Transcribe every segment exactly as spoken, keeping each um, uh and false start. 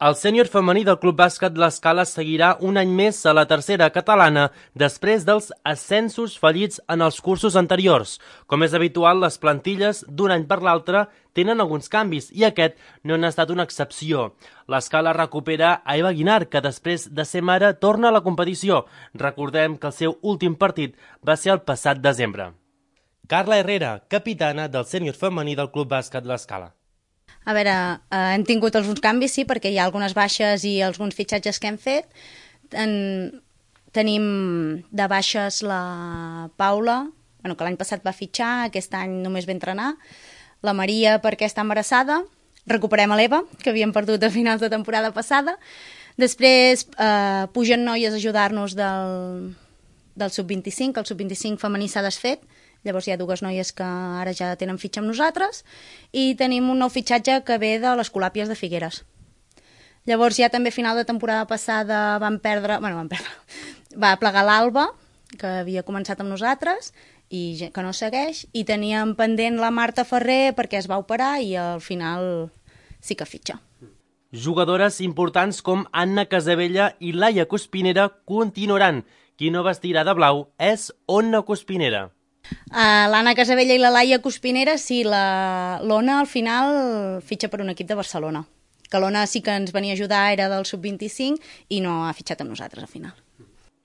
El sènior femení del Club Bàsquet L'Escala seguirà un any més a la tercera catalana després dels ascensos fallits en els cursos anteriors. Com és habitual, les plantilles d'un any per l'altre tenen alguns canvis i aquest no n'ha estat una excepció. L'Escala recupera a Eva Guinar, que després de ser mare torna a la competició. Recordem que el seu últim partit va ser el passat desembre. Carla Herrera, capitana del sènior femení del Club Bàsquet L'Escala. A veure, eh, hem tingut alguns canvis, sí, perquè hi ha algunes baixes i alguns fitxatges que hem fet. En, tenim de baixes la Paula, bueno, que l'any passat va fitxar, aquest any només va entrenar, la Maria perquè està embarassada, recuperem a l'Eva, que havíem perdut a finals de temporada passada, després eh, pugen noies a ajudar-nos del, del sub vint-i-cinc, el sub vint-i-cinc femení s'ha desfet, llavors hi ha dues noies que ara ja tenen fitxa amb nosaltres i tenim un nou fitxatge que ve de les Colàpies de Figueres. Llavors ja també a final de temporada passada vam perdre, bueno, vam perdre, va plegar l'Alba, que havia començat amb nosaltres i que no segueix, i teníem pendent la Marta Ferrer perquè es va operar i al final sí que fitxa. Jugadores importants com Anna Casabella i Laia Cuspinera continuaran. Qui no vestirà de blau és Ona Cuspinera. Uh, L'Anna Casabella i la Laia Cuspinera, sí, l'Ona al final fitxa per un equip de Barcelona. Que l'Ona sí que ens venia a ajudar, era del sub vint-i-cinc i no ha fitxat amb nosaltres al final.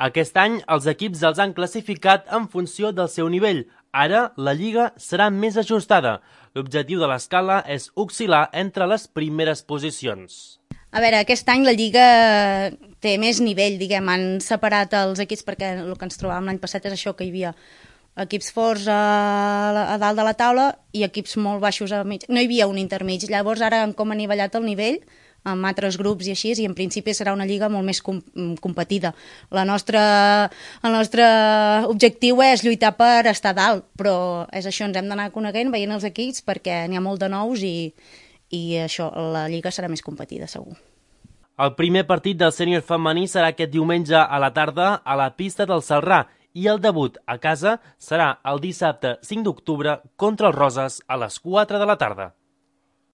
Aquest any els equips els han classificat en funció del seu nivell. Ara la lliga serà més ajustada. L'objectiu de l'Escala és oscil·lar entre les primeres posicions. A veure, aquest any la lliga té més nivell, diguem, han separat els equips perquè el que ens trobàvem l'any passat és això, que hi havia equips forts a, a dalt de la taula i equips molt baixos a mig. No hi havia un intermig. Llavors ara hem com anivellat el nivell amb altres grups i així, i en principi serà una lliga molt més com, competida. La nostra, el nostre objectiu és lluitar per estar dalt, però és això, ens hem d'anar coneguent, veient els equips, perquè n'hi ha molt de nous i, i això, la lliga serà més competida, segur. El primer partit del sènior femení serà aquest diumenge a la tarda a la pista del Celrà, i el debut a casa serà el dissabte cinc d'octubre contra els Roses a les quatre de la tarda.